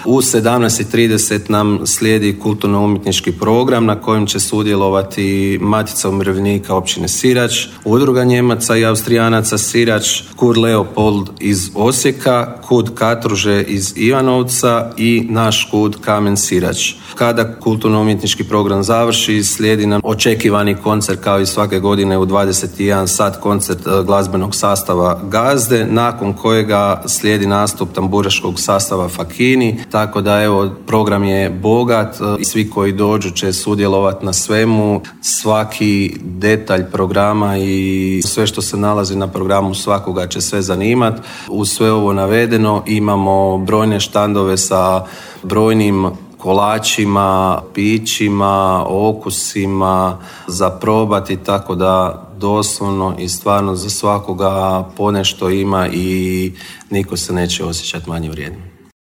U 17:30 nam slijedi kulturno-umjetnički program na kojem će sudjelovati Matica umirovljenika općine Sirač, Udruga Njemaca i Austrijanaca Sirač, KUD Leopold iz Osijeka, KUD Katruže iz Ivanovca i naš KUD Kamen Sirač. Kada kulturno-umjetnički program završi, slijedi nam očekivani koncert kao i svake godine u 21 sat, koncert glazbenog sastava Gazde, nakon kojega slijedi nastup tamburaškog sastava Fakini, tako da evo, program je bogat i svi koji dođu će sudjelovati na svemu. Svaki detalj programa i sve što se nalazi na programu svakoga će sve zanimati. Uz sve ovo navedeno imamo brojne štandove sa brojnim kolačima, pićima, okusima za probati, tako da doslovno i stvarno za svakoga ponešto ima i niko se neće osjećati manje vrijednim.